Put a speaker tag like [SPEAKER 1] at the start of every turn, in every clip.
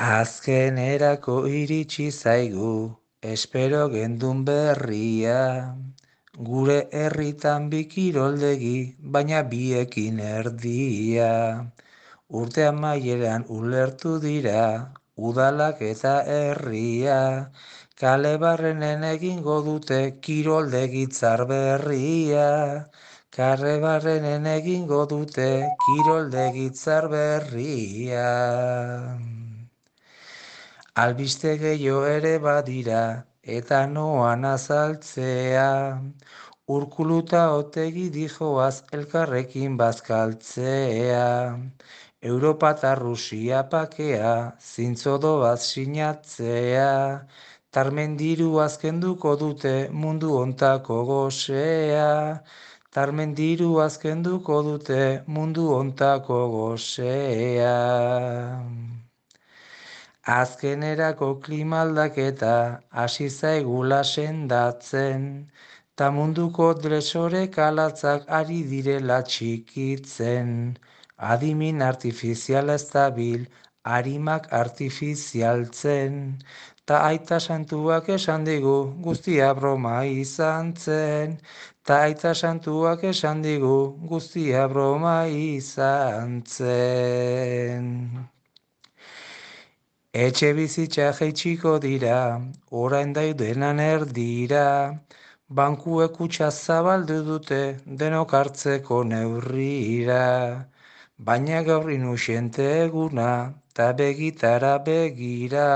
[SPEAKER 1] Azkenerako iritsi zaigu, espero gendun berria. Gure herritan bi kiroldegi, baina biekin erdia. Urte amaieran ulertu dira, udalak eta herria. Kale barrenen egingo dute kiroldegi tzar berria. Kale barrenen egingo dute kiroldegi tzar berria. Albiste gehiago ere badira, eta noan azaltzea. Urkuluta otegi dijoaz elkarrekin bazkaltzea. Europa eta Rusia pakea, zintzodoaz sinatzea. Tarmendiru azkenduko dute mundu ontako gozea. Tarmendiru azkenduko dute mundu ontako gozea. Azkenerako klima aldaketa hasi zaigula sendatzen, ta munduko dresorek alatzak ari direla txikitzen. Adimin artifiziala ez dabil, arimak artifizialtzen, ta aita santuak esan digu guztia broma izan zen. Ta aita santuak esan digu guztia broma izan zen. Etxe bizitza jaitsiko dira, orain daudenan erdira, bankuek kutxa zabaldu dute denok hartzeko neurrira. Baina gaur inusiente eguna, ta begitara begira,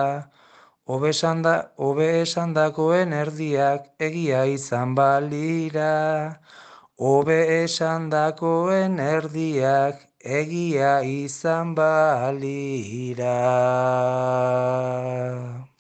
[SPEAKER 1] hobe esandakoen erdiak egia izan balira. Hobe esandakoen erdiak egia izan balira.